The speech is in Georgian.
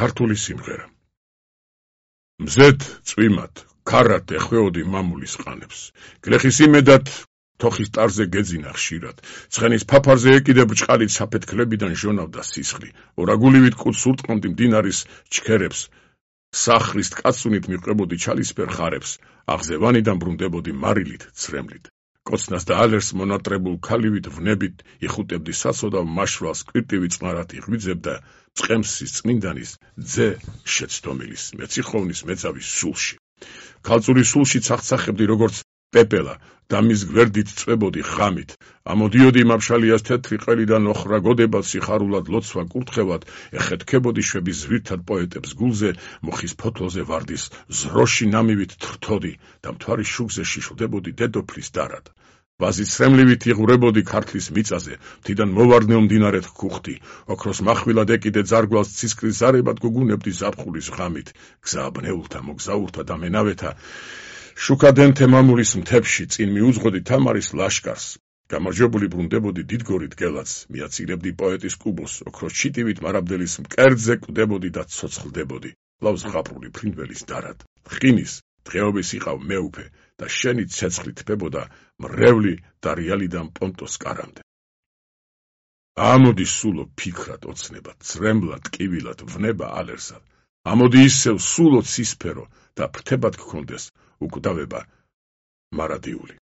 ქართული სიმღერა. მზეთ წვიმად, ქარად ეხვეოდი მამულის ყანებს. გლეხის იმედად თოხის ტარზე გეძინა ხშირად. ცხენის ფაფარზე ეკიდე ბრჭყალით საფეთქლებიდან ჟონავდა სისხლი. ორაგულივით კუდს ურტყმდი მდინარის ჩქერებს. სახლის კაცუნით მიყვებოდი ჩალისფერ ხარებს. აღზევანიდან ბრუნდებოდი მარილით, ცრემლით. კოცნას და ალერს მონატრებულ ქალივით ვნებით იხუტებდი საცოდავ მაშვალს კვირტივი წყნარად იღვიძებდა წყემსის წმინდანის ძე შეცდომილის მეციხოვნის მეძავის სულში. ქალწულის სულში ცახცახებდი როგორც პეპელა და მის გვერდით წვებოდი ღამით. ამოდიოდი მაფშალიას თეთრი ყელიდან ოხრა გოდებად სიხარულად ლოცვა კურთხევად ეხეთქებოდი შვების ზვირთად პოეტებს გულზე მოხის ფოთლოზე ვარდის ზროში ნამივით თრთოდი და მთვარის შუქზე შიშლდებოდი დედოფლის დარად. ვაზის სრემლივით იღურებოდი ქართლის მიწაზე, მთიდან მოვარდნელ მდინარეთ გუხდი, ოქროს מחვილად ეკიდე ძარგვალს ცისკრის ზარებად გუგუნებდი ზაფხულის ღამით, გზა აბნეულთა, მოგზაურთა და მენავეთა, შუქადენთე მამულის მთებში წინ მიუძღოდი თამარის ლაშკარს, გამარჯვებული ბრუნდებოდი დიდგორით გელაც, მიაცირებდი პოეტის კუბოს, ოქროს ჩიტივით მარაბდელის მკერდზე კვდებოდი და ცოცხლდებოდი, ლავს ღაპრული ფრინველის დარად, ხინის დღეობის იყავ მეუფე და შენი ცეცხლი თბებოდა მრევლი დარიალიდან პონტოს კარამდე. ამოდი სულო ფიქრად ოცნებად, ცრემლად, ტკივილად, ვნება ალერსად, ამოდი ისევ სულო ცისფერო და ფრთებად გქონდეს უკვდავება მარადიული.